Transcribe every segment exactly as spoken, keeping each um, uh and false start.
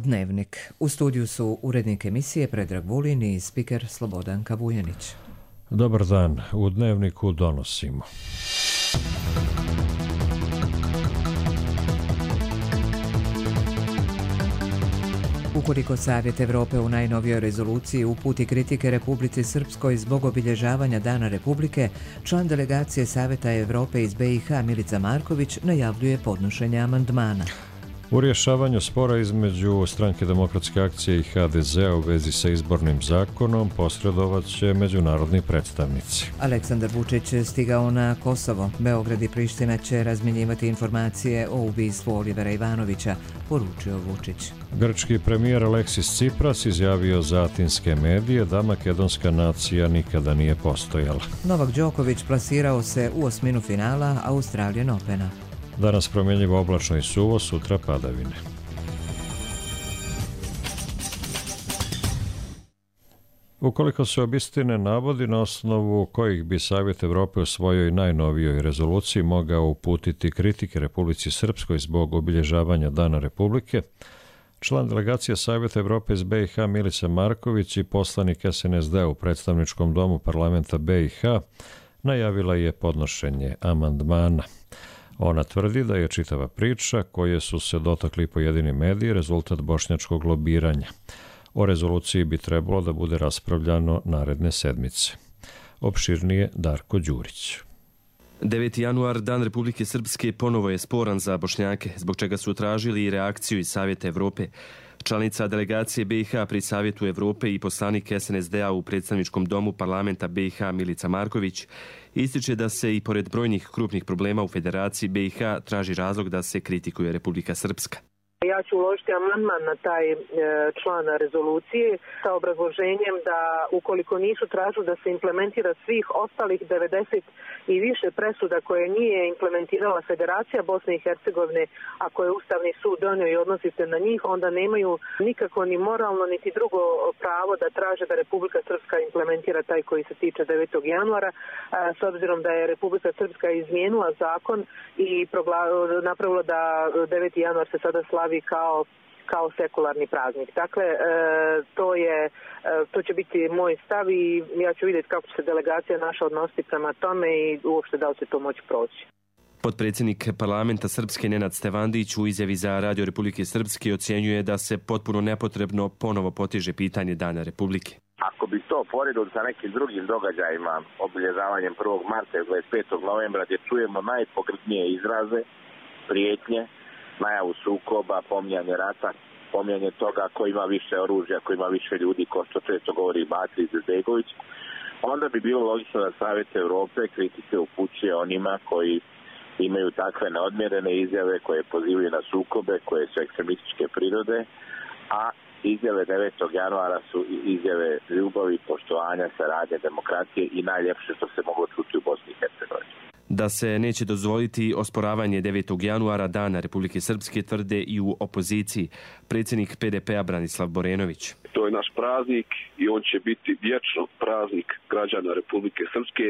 Dnevnik. U studiju su urednik emisije Predrag Vulin i spiker Slobodanka Vujanić. Dobar dan. U Dnevniku donosimo. Ukoliko Savjet Evrope u najnovijoj rezoluciji uputi kritike Republici Srpskoj zbog obilježavanja Dana Republike, član delegacije Savjeta Evrope iz B i H Milica Marković najavljuje podnošenje amandmana. U rješavanju spora između Stranke demokratske akcije i H D Z-a u vezi sa izbornim zakonom posredovat će međunarodni predstavnici. Aleksandar Vučić stigao na Kosovo. Beograd i Priština će razmjenjivati informacije o ubistvu Olivera Ivanovića, poručio Vučić. Grčki premijer Aleksis Tsipras izjavio za atinske medije da makedonska nacija nikada nije postojala. Novak Đoković plasirao se u osminu finala Australian Opena. Danas promjenjivo oblačno i suvo, sutra padavine. Ukoliko se obistine navodi na osnovu kojih bi Savjet Evrope u svojoj najnovijoj rezoluciji mogao uputiti kritike Republici Srpskoj zbog obilježavanja Dana Republike, član delegacije Savjeta Evrope iz B i H Milica Marković i poslanik S N S D u predstavničkom domu parlamenta B i H najavila je podnošenje amandmana. Ona tvrdi da je čitava priča, koje su se dotakli pojedini mediji, rezultat bošnjačkog lobiranja. O rezoluciji bi trebalo da bude raspravljano naredne sedmice. Opširnije Darko Đurić. deveti januar, Dan Republike Srpske, ponovo je sporan za Bošnjake, zbog čega su tražili i reakciju iz Savjeta Evrope. Članica delegacije B i H pri Savjetu Evrope i poslanik S N S D-a u predstavničkom domu parlamenta B i H Milica Marković ističe da se i pored brojnih krupnih problema u Federaciji B i H traži razlog da se kritikuje Republika Srpska. Ja ću uložiti amandman na taj e, član rezolucije sa obrazloženjem da ukoliko nisu tražili da se implementira svih ostalih devedeset i više presuda koje nije implementirala Federacija Bosne i Hercegovine, a koje je Ustavni sud donio i odnosi se na njih, onda nemaju nikako ni moralno niti drugo pravo da traže da Republika Srpska implementira taj koji se tiče devetog januara, a, s obzirom da je Republika Srpska izmijenila zakon i progla, napravila da deveti januar se sada slavi kao kao sekularni praznik. Dakle, e, to je e, to će biti moj stav i ja ću vidjeti kako će se delegacija naša odnositi prema tome i uopšte da li će to moći proći. Potpredsjednik parlamenta Srpske Nenad Stevandić u izjavi za Radio Republike Srpske ocjenjuje da se potpuno nepotrebno ponovo poteže pitanje Dana Republike. Ako bi to poredili sa nekim drugim događajima, obilježavanjem prvog marta i dvadeset petog novembra, gdje čujemo najpogrdnije izraze, prijetnje, najavu sukoba, pominjanje rata, pominjanje toga ko ima više oružja, ko ima više ljudi, ko što često govori Baci Izetbegović, onda bi bilo logično da Savjet Evrope kritike upućuje onima koji imaju takve neodmjerene izjave koje pozivaju na sukobe, koje su ekstremističke prirode, a izjave devetog januara su izjave ljubavi, poštovanja, saradnje, demokratije i najljepše što se moglo čuti u Bosni i Hercegovini. Da se neće dozvoliti osporavanje devetog januara, Dana Republike Srpske, tvrde i u opoziciji. Predsjednik P D P-a Branislav Borenović. To je naš praznik i on će biti vječno praznik građana Republike Srpske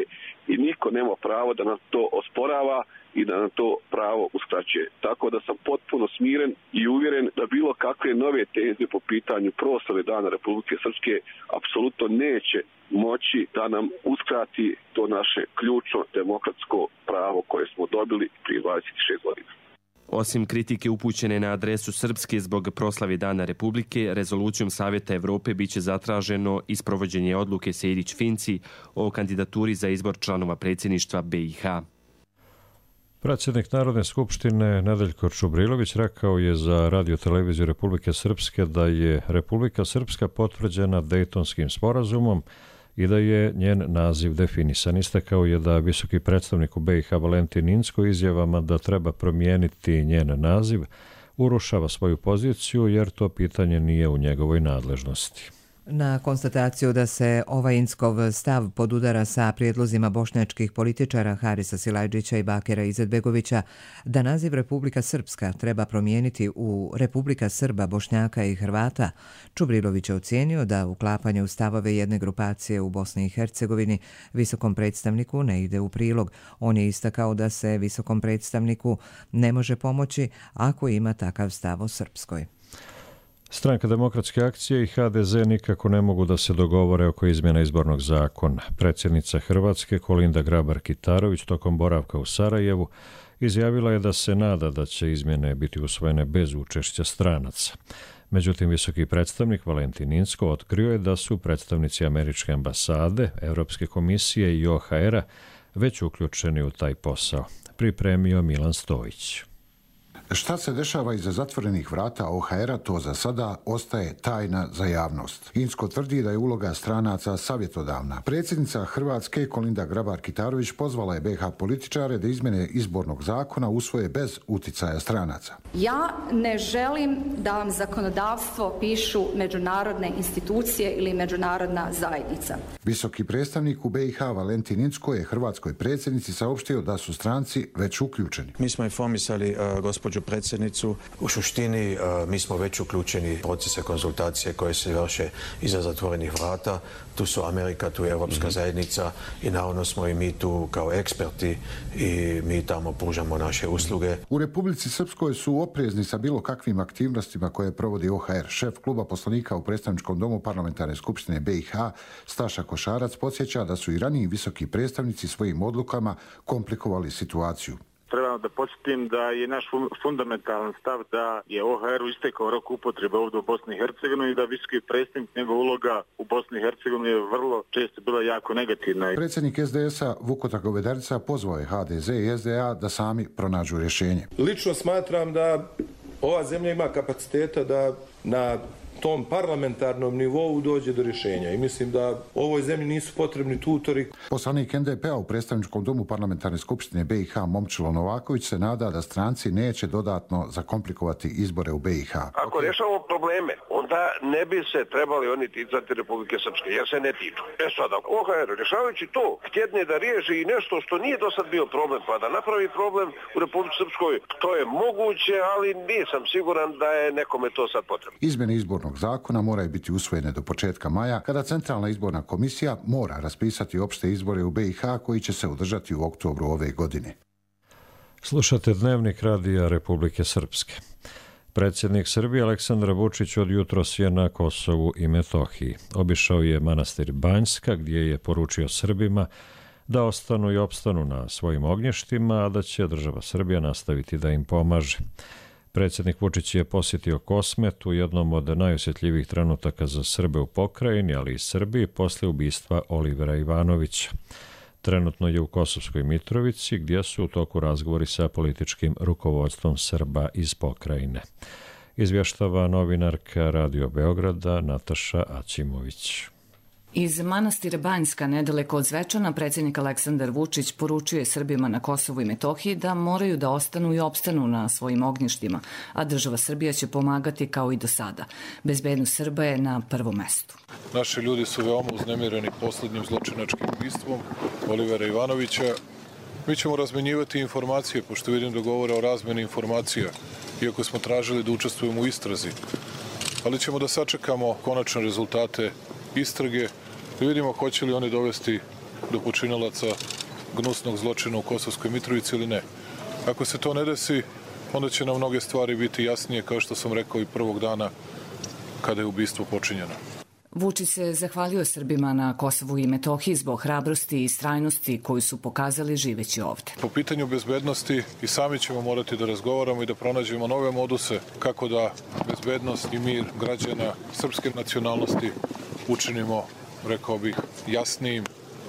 i niko nema pravo da nam to osporava i da nam to pravo uskraćuje. Tako da sam potpuno smiren i uvjeren da bilo kakve nove teze po pitanju proslave Dana Republike Srpske apsolutno neće moći da nam uskrati to naše ključno demokratsko pravo koje smo dobili prije dvadeset šest godina. Osim kritike upućene na adresu Srpske zbog proslave Dana Republike, rezolucijom Savjeta Evrope biće zatraženo i sprovođenje odluke Sejdić-Finci o kandidaturi za izbor članova predsjedništva B i H. Predsjednik Narodne skupštine Nedeljko Čubrilović rekao je za Radio televiziju Republike Srpske da je Republika Srpska potvrđena Dejtonskim sporazumom i da je njen naziv definisan. Istakao je da visoki predstavnik u B i H Valentin Incko izjavama da treba promijeniti njen naziv urušava svoju poziciju jer to pitanje nije u njegovoj nadležnosti. Na konstataciju da se ovaj Inckov stav podudara sa prijedlozima bošnjačkih političara Harisa Silajdžića i Bakira Izetbegovića da naziv Republika Srpska treba promijeniti u Republika Srba, Bošnjaka i Hrvata, Čubrilović je ocijenio da uklapanje u stavove jedne grupacije u Bosni i Hercegovini visokom predstavniku ne ide u prilog. On je istakao da se visokom predstavniku ne može pomoći ako ima takav stav o Srpskoj. Stranka demokratske akcije i ha de ze nikako ne mogu da se dogovore oko izmjena izbornog zakona. Predsjednica Hrvatske Kolinda Grabar-Kitarović tokom boravka u Sarajevu izjavila je da se nada da će izmjene biti usvojene bez učešća stranaca. Međutim, visoki predstavnik Valentin Incko otkrio je da su predstavnici američke ambasade, Europske komisije i o ha era već uključeni u taj posao. Pripremio Milan Stojić. Šta se dešava iza zatvorenih vrata o ha era, to za sada ostaje tajna za javnost. Incko tvrdi da je uloga stranaca savjetodavna. Predsjednica Hrvatske Kolinda Grabar-Kitarović pozvala je be ha političare da izmjene izbornog zakona usvoje bez uticaja stranaca. Ja ne želim da vam zakonodavstvo pišu međunarodne institucije ili međunarodna zajednica. Visoki predstavnik u be i ha Valentin Incko je hrvatskoj predsjednici saopštio da su stranci već uključeni. Mi smo informisali uh, gospođu predsjednicu. U suštini uh, mi smo već uključeni u procese konzultacije koje se vrše iza zatvorenih vrata. Tu su Amerika, tu je Europska mm-hmm. zajednica i naravno smo i mi tu kao eksperti i mi tamo pružamo naše usluge. U Republici Srpskoj su oprezni sa bilo kakvim aktivnostima koje provodi o ha er. Šef kluba poslanika u predstavničkom domu parlamentarne skupštine be i ha Staša Košarac podsjeća da su i raniji visoki predstavnici svojim odlukama komplikovali situaciju. Trebamo da podsjetim da je naš fundamentalan stav da je o ha eru istekao rok upotrebe ovdje u Bosni i Hercegovini i da visoki predstavnik, njegova uloga u Bosni i Hercegovini je vrlo često bila jako negativna. Predsjednik es de esa Vukota Govedarica pozvao je ha de ze i es de a da sami pronađu rješenje. Lično smatram da ova zemlja ima kapaciteta da na tom parlamentarnom nivou dođe do rješenja i mislim da ovoj zemlji nisu potrebni tutori. Poslanik en de pe a u predstavničkom domu parlamentarne skupštine be i ha Momčilo Novaković se nada da stranci neće dodatno zakomplikovati izbore u be i ha. Ako rješavamo probleme, onda ne bi se trebali oni ticati Republike Srpske, jer se ne tiču. E sada, o ha er, rješavajući to, htjedne da riješi i nešto što nije do sad bio problem, pa da napravi problem u Republike Srpskoj, to je moguće, ali nisam siguran da je nekome to sad potrebno. Izmjene izbornog zakona moraju biti usvojene do početka maja, kada Centralna izborna komisija mora raspisati opšte izbore u be i ha koji će se održati u oktobru ove godine. Slušate Dnevnik radija Republike Srpske. Predsjednik Srbije Aleksandar Vučić od jutros je na Kosovu i Metohiji. Obišao je manastir Banjska gdje je poručio Srbima da ostanu i opstanu na svojim ognjištima, a da će država Srbija nastaviti da im pomaže. Predsjednik Vučić je posjetio Kosmet u jednom od najosjetljivijih trenutaka za Srbe u pokrajini, ali i Srbiji posle ubistva Olivera Ivanovića. Trenutno je u Kosovskoj Mitrovici, gdje su u toku razgovori sa političkim rukovodstvom Srba iz pokrajine. Izvještava novinarka Radio Beograda Nataša Aćimović. Iz manastira Banjska, nedaleko od Zvečana, predsjednik Aleksandar Vučić poručuje Srbima na Kosovu i Metohiji da moraju da ostanu i opstanu na svojim ognjištima, a država Srbija će pomagati kao i do sada. Bezbednost Srba je na prvom mestu. Naši ljudi su veoma uznemireni posljednjim zločinačkim ubistvom Olivera Ivanovića. Mi ćemo razmenjivati informacije, pošto vidim da govore o razmeni informacija, iako smo tražili da učestvujemo u istrazi. Ali ćemo da sačekamo konačne rezultate istrage, da vidimo hoće li oni dovesti do počinalaca gnusnog zločina u Kosovskoj Mitrovici ili ne. Ako se to ne desi, onda će nam mnoge stvari biti jasnije, kao što sam rekao i prvog dana kada je ubistvo počinjeno. Vučić se zahvalio Srbima na Kosovu i Metohiji zbog hrabrosti i istrajnosti koju su pokazali živeći ovde. Po pitanju bezbednosti i sami ćemo morati da razgovaramo i da pronađemo nove moduse kako da bezbednost i mir građana srpske nacionalnosti učinimo, rekao bih, jasnijim,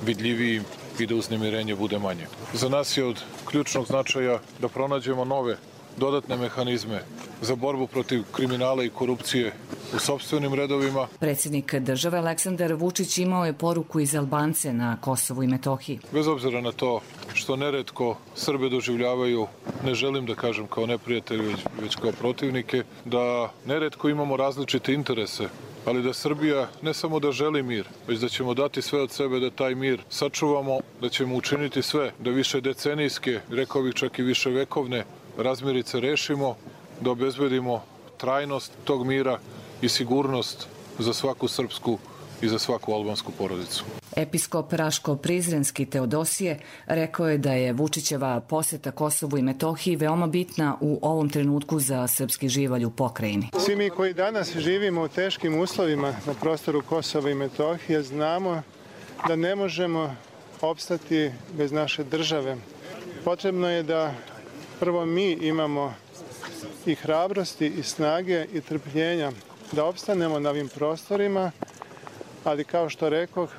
vidljivijim i da uznemirenje bude manje. Za nas je od ključnog značaja da pronađemo nove, dodatne mehanizme za borbu protiv kriminala i korupcije u sopstvenim redovima. Predsjednik države Aleksandar Vučić imao je poruku iz Albance na Kosovu i Metohiji. Bez obzira na to što neretko Srbe doživljavaju, ne želim da kažem kao neprijatelji, već, već kao protivnike, da neretko imamo različite interese, ali da Srbija ne samo da želi mir, već da ćemo dati sve od sebe da taj mir sačuvamo, da ćemo učiniti sve da više decenijske, rekao bih čak i više vekovne razmirice rešimo, da obezbedimo trajnost tog mira i sigurnost za svaku srpsku i za svaku albansku porodicu. Episkop Raško-Prizrenski Teodosije rekao je da je Vučićeva poseta Kosovu i Metohiji veoma bitna u ovom trenutku za srpski živalj u pokrajini. Svi mi koji danas živimo u teškim uslovima na prostoru Kosova i Metohije znamo da ne možemo opstati bez naše države. Potrebno je da prvo mi imamo i hrabrosti i snage i trpljenja da opstanemo na ovim prostorima, ali kao što rekoh,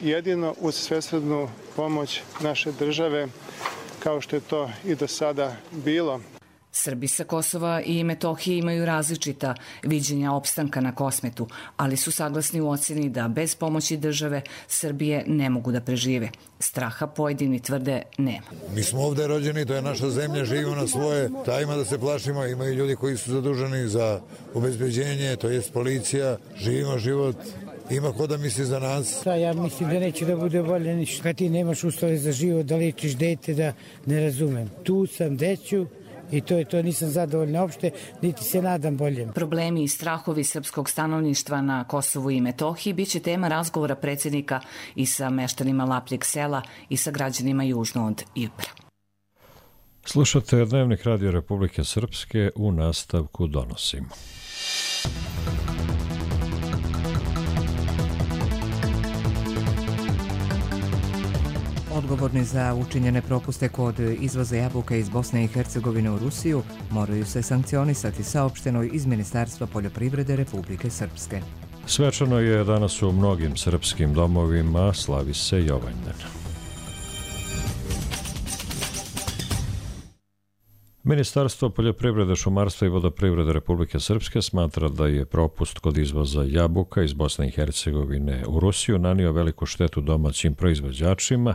jedino uz svesrdnu pomoć naše države, kao što je to i do sada bilo. Srbi sa Kosova i Metohije imaju različita viđenja opstanka na Kosmetu, ali su saglasni u ocjeni da bez pomoći države Srbije ne mogu da prežive. Straha pojedini tvrde nema. Mi smo ovde rođeni, to je naša zemlja, živimo na svoje, da ima da se plašimo, imaju ljudi koji su zaduženi za obezbeđenje, to jest policija, živimo život. Ima ko da misli za nas? Da, ja mislim da neće da bude bolje ništa. Kad ti nemaš uslove za život, da lečiš dete, da ne razumem. Tu sam, deću, i to je to, nisam zadovoljna uopšte, niti se nadam boljem. Problemi i strahovi srpskog stanovništva na Kosovu i Metohiji biće tema razgovora predsjednika i sa meštanima Lapljeg sela i sa građanima južno od Ibra. Slušate Dnevnik Radio Republike Srpske, u nastavku donosimo. Odgovorni za učinjene propuste kod izvoza jabuka iz Bosne i Hercegovine u Rusiju moraju se sankcionisati, saopšteno iz Ministarstva poljoprivrede Republike Srpske. Svečano je danas u mnogim srpskim domovima, slavi se Jovanjdan. Ministarstvo poljoprivrede, šumarstva i vodoprivrede Republike Srpske smatra da je propust kod izvoza jabuka iz Bosne i Hercegovine u Rusiju nanio veliku štetu domaćim proizvođačima,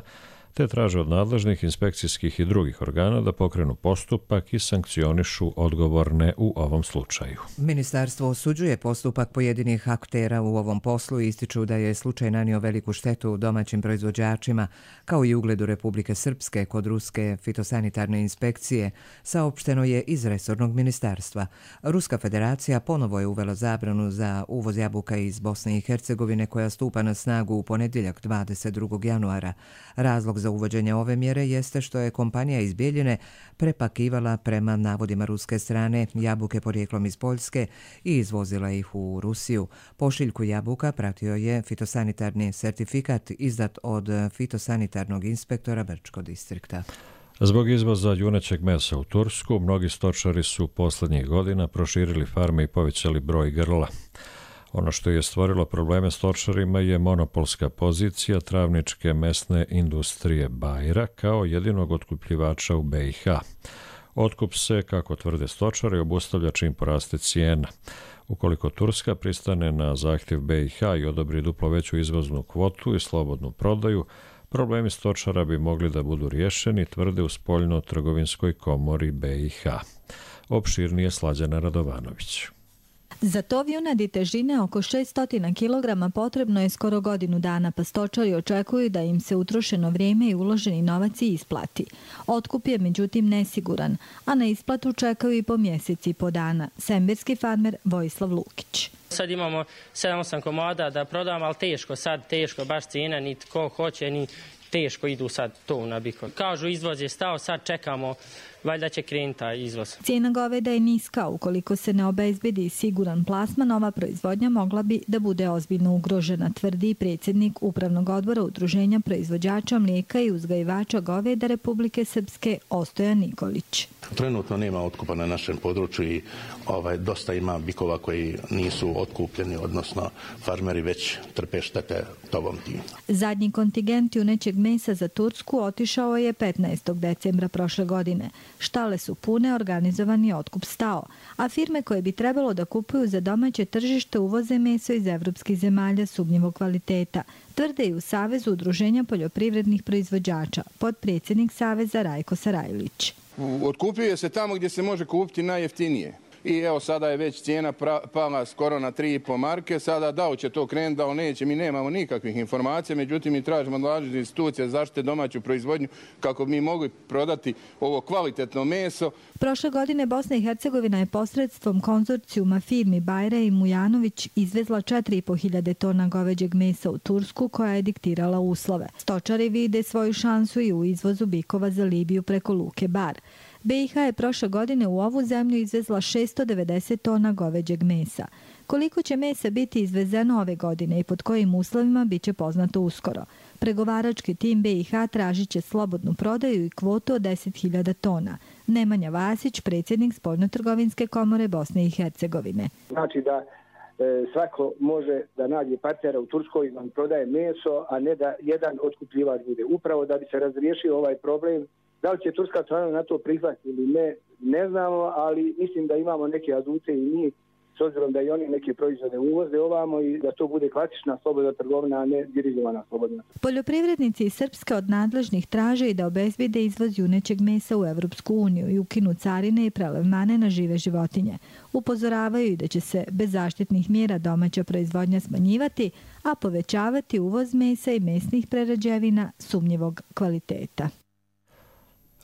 te traže od nadležnih inspekcijskih i drugih organa da pokrenu postupak i sankcionišu odgovorne u ovom slučaju. Ministarstvo osuđuje postupak pojedinih aktera u ovom poslu i ističu da je slučaj nanio veliku štetu domaćim proizvođačima, kao i ugledu Republike Srpske kod ruske fitosanitarne inspekcije, saopšteno je iz resornog ministarstva. Ruska federacija ponovo je uvela zabranu za uvoz jabuka iz Bosne i Hercegovine koja stupa na snagu u ponedjeljak dvadeset drugog januara. Razlog za uvođenje ove mjere jeste što je kompanija iz Bijeljine prepakivala prema navodima ruske strane jabuke porijeklom iz Poljske i izvozila ih u Rusiju. Pošiljku jabuka pratio je fitosanitarni sertifikat izdat od fitosanitarnog inspektora Brčkog distrikta. Zbog izvoza junećeg mesa u Tursku, mnogi stočari su poslednjih godina proširili farme i povećali broj grla. Ono što je stvorilo probleme stočarima je monopolska pozicija travničke mesne industrije Bajra kao jedinog otkupljivača u B i H. Otkup se, kako tvrde stočari, obustavlja čim poraste cijena. Ukoliko Turska pristane na zahtjev B i H i odobri duplo veću izvoznu kvotu i slobodnu prodaju, problemi stočara bi mogli da budu riješeni, tvrde u spoljno-trgovinskoj komori B i H. Opširnije Slađana Radovanović. Za tov junadi težine oko šesto kilograma potrebno je skoro godinu dana, pa stočari očekuju da im se utrošeno vrijeme i uloženi novac i isplati. Otkup je međutim nesiguran, a na isplatu čekaju i po mjeseci i po dana. Sembirski farmer Vojislav Lukić. Sad imamo sedam osam komada da prodamo, ali teško sad, teško, baš cijena, ni ko hoće, ni teško idu sad to na bikon. Kažu izvoz je stao, sad čekamo, valjda će krenuti taj izvoz. Cijena goveda je niska, ukoliko se ne obezbedi siguran plasman, ova proizvodnja mogla bi da bude ozbiljno ugrožena, tvrdi predsjednik Upravnog odbora Udruženja proizvođača mlijeka i uzgajivača goveda Republike Srpske Ostojan Nikolić. Trenutno nema otkupa na našem području i ovaj, dosta ima bikova koji nisu otkupljeni, odnosno farmeri već trpe štete tovom tim. Zadnji kontingent junećeg mesa za Tursku otišao je petnaestog decembra prošle godine. Štale su pune, organizovani otkup stao, a firme koje bi trebalo da kupuju za domaće tržište uvoze meso iz evropskih zemalja sumnjivog kvaliteta, tvrde i u Savezu udruženja poljoprivrednih proizvođača, potpredsjednik Saveza Rajko Sarajlić. Otkupljuje se tamo gdje se može kupiti najjeftinije. i evo sada je već cijena pala skoro na tri i po marke. Sada da li će to krenuti, da li neće, mi nemamo nikakvih informacija, međutim mi tražimo od nadležnih institucija zaštite domaću proizvodnju kako bi mi mogli prodati ovo kvalitetno meso. Prošle godine Bosna i Hercegovina je posredstvom konzorcijuma firmi Bajre i Mujanović izvezla četiri i po hiljade tona goveđeg mesa u Tursku, koja je diktirala uslove. Stočari vide svoju šansu i u izvozu bikova za Libiju preko luke Bar. B i H je prošle godine u ovu zemlju izvezla šessto devedeset tona goveđeg mesa. Koliko će mesa biti izvezeno ove godine i pod kojim uslovima bit će poznato uskoro. Pregovarački tim B i H tražit će slobodnu prodaju i kvotu od deset hiljada tona. Nemanja Vasić, predsjednik Spoljnotrgovinske komore Bosne i Hercegovine. Znači da e, svako može da nađe partnera u Turskoj i vam prodaje meso, a ne da jedan otkupljivač bude. Upravo da bi se razriješio ovaj problem. Da li će turska strana na to prihvatiti ili ne, ne znamo, ali mislim da imamo neke adute i mi, s obzirom da i oni neke proizvode uvoze ovamo i da to bude klasična slobodna trgovina, a ne dirigovana slobodna. Poljoprivrednici iz Srpske od nadležnih traže i da obezbede izvoz junećeg mesa u Evropsku uniju i ukinu carine i prelevmane na žive životinje. Upozoravaju i da će se bez zaštitnih mjera domaća proizvodnja smanjivati, a povećavati uvoz mesa i mesnih prerađevina sumnjivog kvaliteta.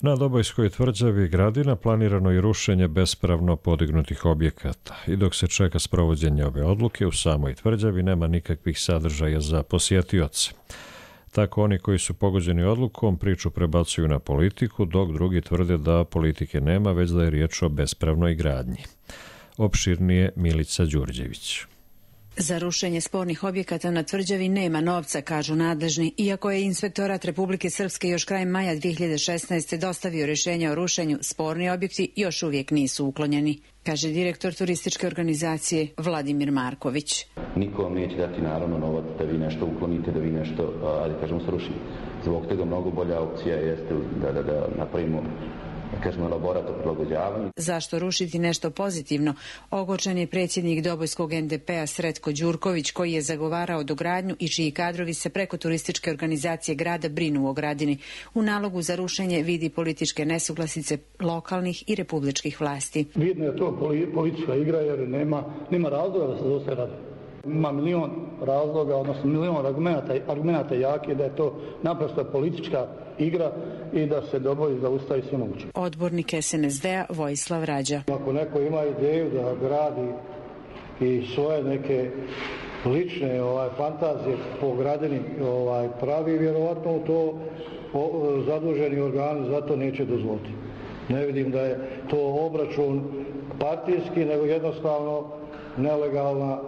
Na Dobojskoj tvrđavi Gradina planirano je rušenje bespravno podignutih objekata i dok se čeka sprovođenje ove odluke u samoj tvrđavi nema nikakvih sadržaja za posjetioce. Tako oni koji su pogođeni odlukom priču prebacuju na politiku, dok drugi tvrde da politike nema, već da je riječ o bespravnoj gradnji. Opširnije Milica Đurđević. Za rušenje spornih objekata na tvrđavi nema novca, kažu nadležni, iako je Inspektorat Republike Srpske još krajem maja dvije hiljade šesnaeste. dostavio rješenje o rušenju, sporni objekti još uvijek nisu uklonjeni, kaže direktor turističke organizacije Vladimir Marković. Niko vam neće dati naravno novac da vi nešto uklonite, da vi nešto, ali kažemo, srušite. Zbog toga mnogo bolja opcija jeste da, da, da napravimo kažemo elaborat o prilagođavanju. Zašto rušiti nešto pozitivno? Ogorčen je predsjednik Dobojskog N D P-a Sretko Đurković, koji je zagovarao dogradnju i čiji kadrovi se preko turističke organizacije grada brinu o Gradini. U nalogu za rušenje vidi političke nesuglasice lokalnih i republičkih vlasti. Vidno je to politička igra jer nema, nema razloga da se dosta radi. Ima milion razloga, odnosno milion argumenta, argumenta jake da je to naprosto politička igra i da se Doboj zaustavi sve moguće. Odbornik S N S D-a Vojislav Rađa. Ako neko ima ideju da gradi i svoje neke lične ovaj, fantazije po Gradini ovaj, pravi, vjerovatno to o, zaduženi organi za to neće dozvoliti. Ne vidim da je to obračun partijski, nego jednostavno nelegalna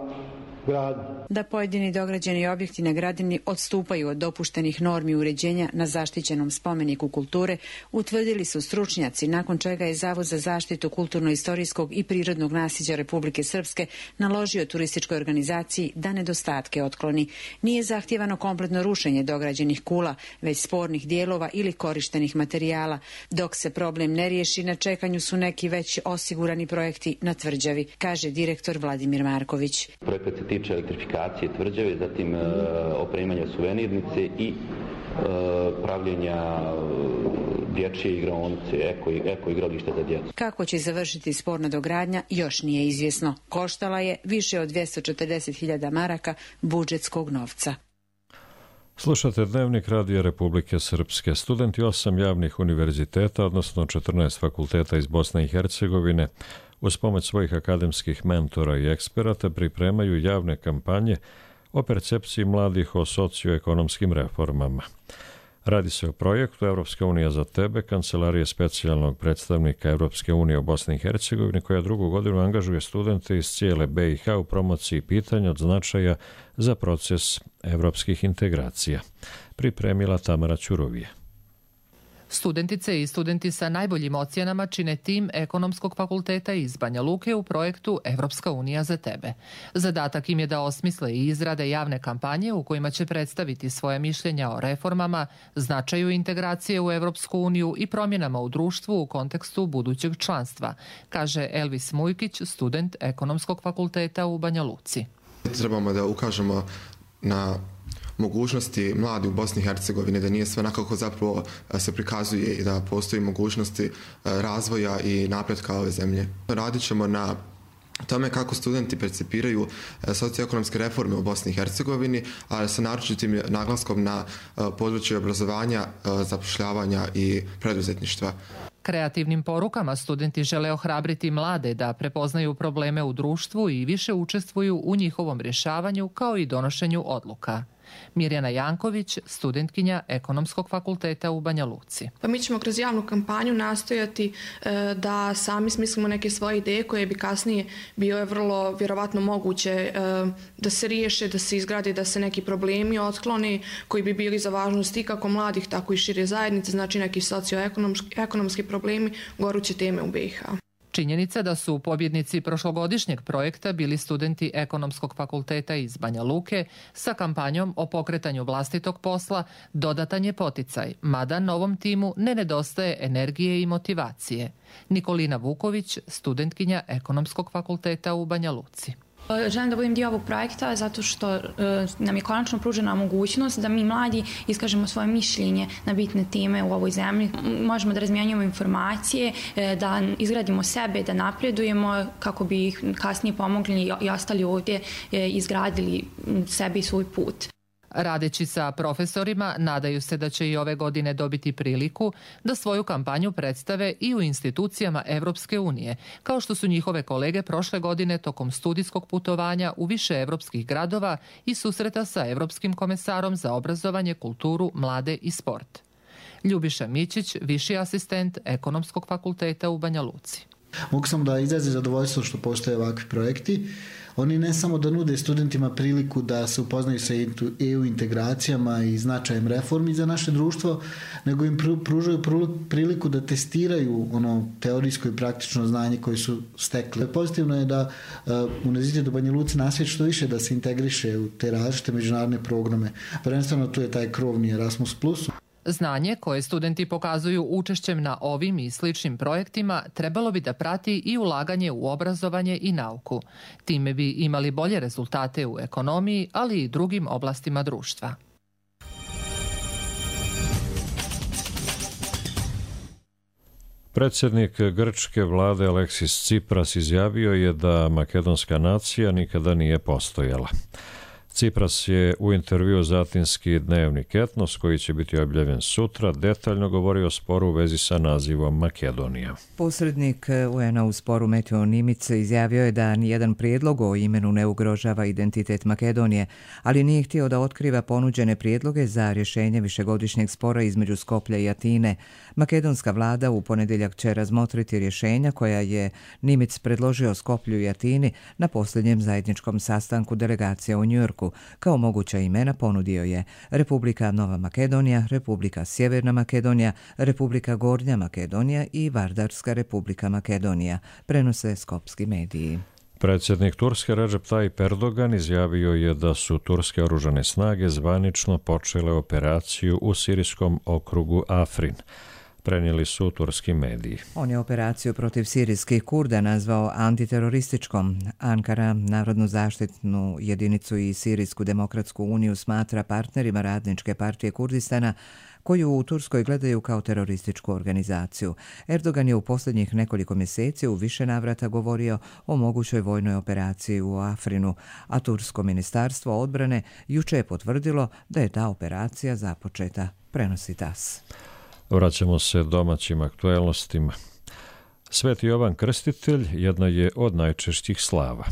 gradnja. Da pojedini dograđeni objekti na Gradini odstupaju od dopuštenih normi uređenja na zaštićenom spomeniku kulture, utvrdili su stručnjaci, nakon čega je Zavod za zaštitu kulturno-istorijskog i prirodnog nasljeđa Republike Srpske naložio turističkoj organizaciji da nedostatke otkloni. Nije zahtijevano kompletno rušenje dograđenih kula, već spornih dijelova ili korištenih materijala. Dok se problem ne riješi, na čekanju su neki već osigurani projekti na tvrđavi, kaže direktor Vladimir Marković. Projekat se tiče elektrifikacije tvrđave, zatim e, opremanja suvenirnice i e, pravljenja e, dječje igraonice, eko, eko igrališta za djecu. Kako će završiti sporna dogradnja još nije izvjesno. Koštala je više od dvjesto četrdeset hiljada maraka budžetskog novca. Slušate Dnevnik Radija Republike Srpske. Studenti osam javnih univerziteta, odnosno četrnaest fakulteta iz Bosne i Hercegovine, uz pomoć svojih akademskih mentora i eksperata pripremaju javne kampanje o percepciji mladih o socioekonomskim reformama. Radi se o projektu Evropska unija za tebe, kancelarije specijalnog predstavnika Evropske unije u Bosni i Hercegovini, koja drugu godinu angažuje studente iz cijele B i H u promociji pitanja od značaja za proces evropskih integracija. Pripremila Tamara Ćurovije. Studentice i studenti sa najboljim ocjenama čine tim Ekonomskog fakulteta iz Banja Luke u projektu Evropska unija za tebe. Zadatak im je da osmisle i izrade javne kampanje u kojima će predstaviti svoje mišljenja o reformama, značaju integracije u Evropsku uniju i promjenama u društvu u kontekstu budućeg članstva, kaže Elvis Mujkić, student Ekonomskog fakulteta u Banja Luci. Trebamo da ukažemo na mogućnosti mladi u Bosni i Hercegovini, da nije sve onako zapravo se prikazuje i da postoji mogućnosti razvoja i napretka ove zemlje. Radit ćemo na tome kako studenti percipiraju socioekonomske reforme u Bosni i Hercegovini, a sa naročitim naglaskom na područje obrazovanja, zapošljavanja i preduzetništva. Kreativnim porukama studenti žele ohrabriti mlade da prepoznaju probleme u društvu i više učestvuju u njihovom rješavanju kao i donošenju odluka. Mirjana Janković, studentkinja Ekonomskog fakulteta u Banja Luci. Pa mi ćemo kroz javnu kampanju nastojati e, da sami smislimo neke svoje ideje koje bi kasnije bio je vrlo vjerovatno moguće e, da se riješe, da se izgradi, da se neki problemi otklone koji bi bili za važnost i kako mladih, tako i šire zajednice, znači neki socioekonomski problemi, goruće teme u B i H. Činjenica da su pobjednici prošlogodišnjeg projekta bili studenti Ekonomskog fakulteta iz Banja Luke sa kampanjom o pokretanju vlastitog posla dodatan je poticaj, mada novom timu ne nedostaje energije i motivacije. Nikolina Vuković, studentkinja Ekonomskog fakulteta u Banja Luci. Želim da budem dio ovog projekta zato što nam je konačno pružena mogućnost da mi mladi iskažemo svoje mišljenje na bitne teme u ovoj zemlji. Možemo da razmijenjujemo informacije, da izgradimo sebe, da napredujemo kako bi ih kasnije pomogli i ostali ovdje izgradili sebe i svoj put. Radeći sa profesorima, nadaju se da će i ove godine dobiti priliku da svoju kampanju predstave i u institucijama Evropske unije, kao što su njihove kolege prošle godine tokom studijskog putovanja u više evropskih gradova i susreta sa Evropskim komesarom za obrazovanje, kulturu, mlade i sport. Ljubiša Mićić, viši asistent Ekonomskog fakulteta u Banja Luci. Mogu sam da izrazi zadovoljstvo što postoje ovakvi projekti. Oni ne samo da nude studentima priliku da se upoznaju sa E U integracijama i značajem reformi za naše društvo, nego im pružaju priliku da testiraju ono teorijsko i praktično znanje koje su stekli. Pozitivno je da Univerzitet u Banja Luci nastoji što više da se integriše u te različite međunarodne programe. Prvenstveno tu je taj krovni Erasmus plus. Znanje koje studenti pokazuju učešćem na ovim i sličnim projektima trebalo bi da prati i ulaganje u obrazovanje i nauku. Time bi imali bolje rezultate u ekonomiji, ali i drugim oblastima društva. Predsjednik grčke vlade Aleksis Tsipras izjavio je da makedonska nacija nikada nije postojala. Tsipras je u intervjuu za atinski dnevnik Etnos, koji će biti objavljen sutra, detaljno govorio o sporu u vezi sa nazivom Makedonija. Posrednik U N A u sporu Meteo Nimic izjavio je da nijedan prijedlog o imenu ne ugrožava identitet Makedonije, ali nije htio da otkriva ponuđene prijedloge za rješenje višegodišnjeg spora između Skoplja i Atine. Makedonska vlada u ponedjeljak će razmotriti rješenja koja je Nimic predložio Skoplju i Atini na posljednjem zajedničkom sastanku delegacija u Njujorku. Kao moguća imena ponudio je Republika Nova Makedonija, Republika Sjeverna Makedonija, Republika Gornja Makedonija i Vardarska Republika Makedonija, prenose skopski mediji. Predsjednik Turske Recep Tayyip Erdogan izjavio je da su turske oružane snage zvanično počele operaciju u sirijskom okrugu Afrin. Prenijeli su turski mediji. On je operaciju protiv sirijskih Kurda nazvao antiterorističkom. Ankara, Narodnu zaštitnu jedinicu i Sirijsku demokratsku uniju smatra partnerima Radničke partije Kurdistana, koju u Turskoj gledaju kao terorističku organizaciju. Erdogan je u posljednjih nekoliko mjeseci u više navrata govorio o mogućoj vojnoj operaciji u Afrinu, a Tursko ministarstvo odbrane juče je potvrdilo da je ta operacija započeta, prenosi T A S. Vraćamo se domaćim aktuelnostima. Sveti Jovan Krstitelj jedna je od najčešćih slava.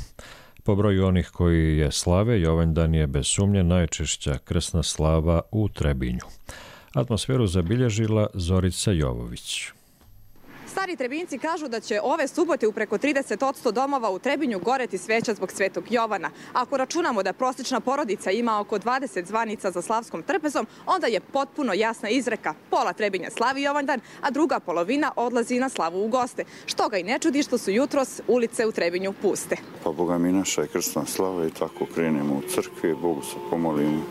Po broju onih koji je slave, Jovanjdan je bez sumnje najčešća krsna slava u Trebinju. Atmosferu zabilježila Zorica Jovović. Stari Trebinjci kažu da će ove subote u preko trideset posto domova u Trebinju goreti sveća zbog Svetog Jovana. Ako računamo da prosječna porodica ima oko dvadeset zvanica za slavskom trpezom, onda je potpuno jasna izreka. Pola Trebinja slavi Jovanjdan, a druga polovina odlazi na slavu u goste. Što ga i ne čudi što su jutros ulice u Trebinju puste. Pa Boga mi naša je krsna slava i tako krenemo u crkvi, Bogu se pomolimo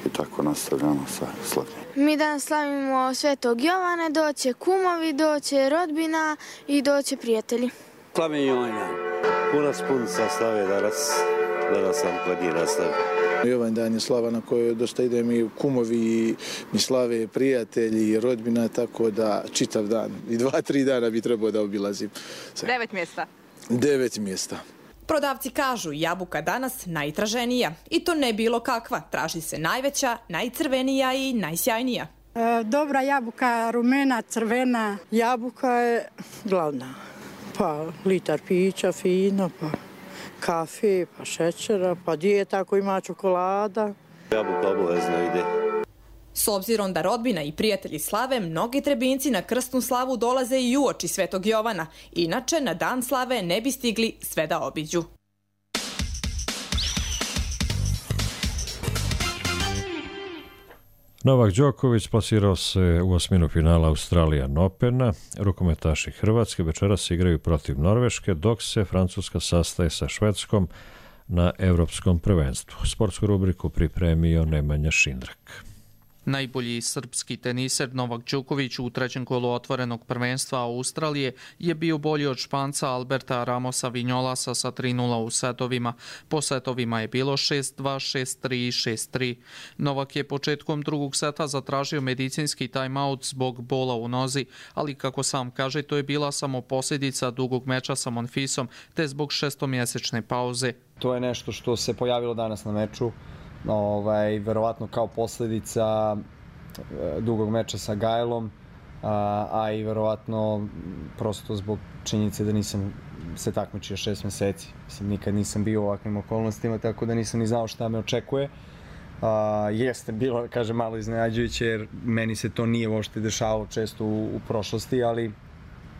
i tako nastavljamo sa slavljenjem. Mi danas slavimo Svetog Jovana, doće kumovi, doće rodbina i doće prijatelji. Slavim Jovanjdan, punac punica slave danas danas sam kod njih nastavio. I ovaj dan je slava na kojoj dosta idem i kumovi, i mi slave, prijatelji, i rodbina, tako da čitav dan i dva, tri dana bi trebao da obilazim. Devet mjesta. Devet mjesta. Prodavci kažu jabuka danas najtraženija i to ne bilo kakva. Traži se najveća, najcrvenija i najsjajnija. E, dobra jabuka, rumena, crvena. Jabuka je glavna. Pa litar pića, fino, pa kafe, pa šećera, pa dijeta ako ima čokolada. Jabuka obavezno ide. S obzirom da rodbina i prijatelji slave, mnogi Trebinjci na krsnu slavu dolaze i uoči Svetog Jovana. Inače, na dan slave ne bi stigli sve da obiđu. Novak Đoković plasirao se u osminu finala Australian Opena. Rukometaši Hrvatske večeras igraju protiv Norveške, dok se Francuska sastaje sa Švedskom na Evropskom prvenstvu. Sportsku rubriku pripremio Nemanja Šindrak. Najbolji srpski teniser Novak Đoković u trećem kolu otvorenog prvenstva Australije je bio bolji od Španca Alberta Ramosa Vinolasa sa tri nula u setovima. Po setovima je bilo šest dva, šest tri i šest tri. Novak je početkom drugog seta zatražio medicinski timeout zbog bola u nozi, ali kako sam kaže, to je bila samo posljedica dugog meča sa Monfisom te zbog šestomjesečne pauze. To je nešto što se pojavilo danas na meču. Ovaj, verovatno kao posljedica dugog meča sa Gajlom, a, a i verovatno prosto zbog činjenice da nisam se takmičio šest mjeseci. Mislim, nikad nisam bio u ovakvim okolnostima, tako da nisam ni znao šta me očekuje. A, jeste bilo, kaže, malo iznenađujuće, jer meni se to nije uopšte dešavalo često u, u prošlosti, ali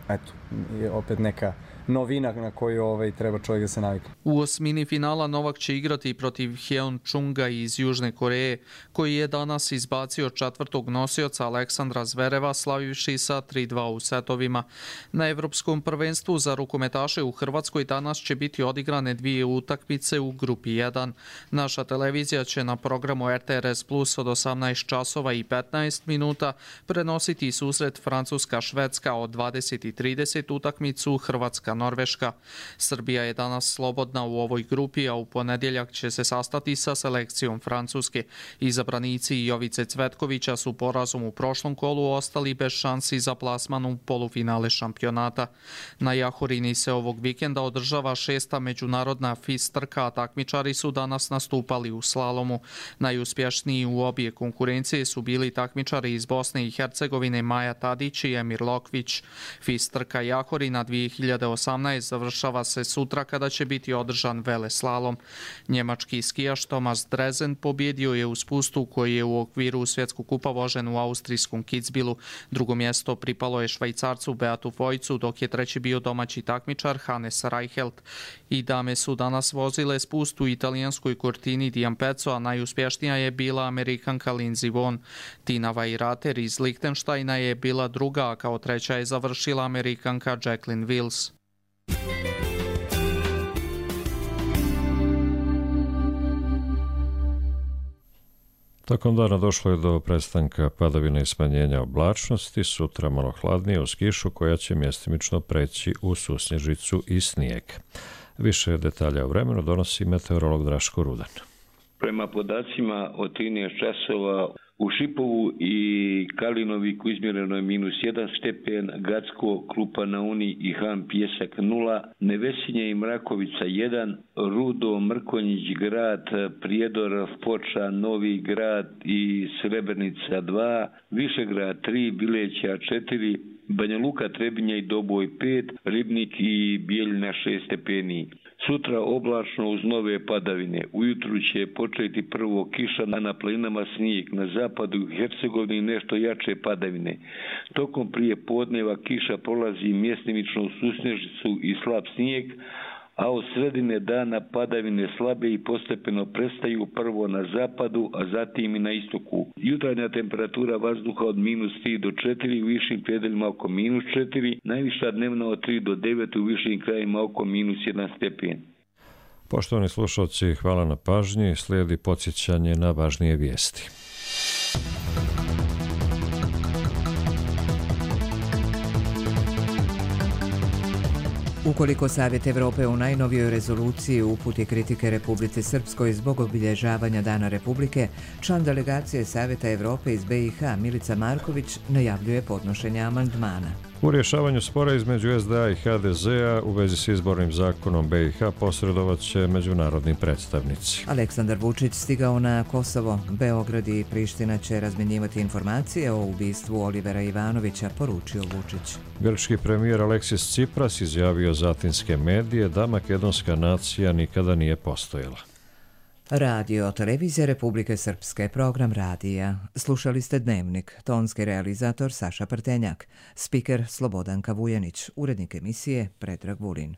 eto, je opet neka novina na koju ovaj, treba čovjek da se navikne. U osmini finala Novak će igrati protiv Hyeon Chunga iz Južne Koreje, koji je danas izbacio četvrtog nosioca Aleksandra Zvereva, slavivši sa tri dva u setovima. Na Evropskom prvenstvu za rukometaše u Hrvatskoj danas će biti odigrane dvije utakmice u grupi jedan. Naša televizija će na programu R T R S Plus od osamnaest časova i petnaest minuta prenositi susret Francuska-Švedska od dvadeset i trideset utakmicu Hrvatska Norveška. Srbija je danas slobodna u ovoj grupi, a u ponedjeljak će se sastati sa selekcijom Francuske. Izabranici Jovice Cvetkovića su porazom u prošlom kolu ostali bez šansi za plasman u polufinale šampionata. Na Jahorini se ovog vikenda održava šesta međunarodna F I S trka, a takmičari su danas nastupali u slalomu. Najuspješniji u obje konkurencije su bili takmičari iz Bosne i Hercegovine Maja Tadić i Emir Lokvić. F I S trka Jahorina dvije hiljade osamnaeste završava se sutra kada će biti održan veleslalom. Njemački skijaš Thomas Drezen pobjedio je u spustu koji je u okviru svjetskog kupa vožen u austrijskom Kitzbilu. Drugo mjesto pripalo je Švajcarcu Beatu Vojcu, dok je treći bio domaći takmičar Hannes Reichelt. I dame su danas vozile spust u italijanskoj Cortini di Ampezzo, a najuspješnija je bila Amerikanka Lindsey Vonn. Tina Weirater iz Lichtensteina je bila druga, a kao treća je završila Amerikanka Jacqueline Wills. Tokom dana došlo je do prestanka padavina i smanjenja oblačnosti, sutra malo hladnije uz kišu koja će mjestimično preći u susnježicu i snijeg. Više detalja o vremenu donosi meteorolog Draško Rudan. Prema podacima od trinaest časova u Šipovu i Kalinoviku izmjereno je minus jedan stepen, Gacko, Klupa na Uni i Han Pjesak nula, Nevesinje i Mrakovica jedan, Rudo, Mrkonjić grad, Prijedor, Foča, Novi grad i Srebrnica dva, Višegrad tri, Bileća četiri, Banja Luka, Trebinje i Doboj pet, Ribnik i Bijeljina šest stepeni. Sutra oblačno uz nove padavine. Ujutru će početi prvo kiša, na planinama snijeg, na zapadu i Hercegovini nešto jače padavine. Tokom prije podneva kiša prolazi mjestimično u susnježicu i slab snijeg, a od sredine dana padavine slabe i postepeno prestaju prvo na zapadu, a zatim i na istoku. Jutarnja temperatura vazduha od minus tri do četiri, u višim predelima oko minus četiri, najviša dnevna od tri do devet, u višim krajima oko minus jedan stepen. Poštovani slušalci, hvala na pažnji. Slijedi podsjećanje na važnije vijesti. Ukoliko Savjet Evrope u najnovijoj rezoluciji uputi kritike Republici Srpskoj zbog obilježavanja Dana Republike, član delegacije Savjeta Evrope iz be i ha Milica Marković najavljuje podnošenje amandmana. U rješavanju spora između es de a i ha de zea u vezi s izbornim zakonom be i ha posredovat će međunarodni predstavnici. Aleksandar Vučić stigao na Kosovo. Beograd i Priština će razmjenjivati informacije o ubistvu Olivera Ivanovića, poručio Vučić. Grčki premijer Aleksis Tsipras izjavio za atinske medije da makedonska nacija nikada nije postojala. Radio Televizija Republike Srpske, program radija. Slušali ste Dnevnik, tonski realizator Saša Prtenjak, spiker Slobodanka Vujanić, urednik emisije Predrag Vulin.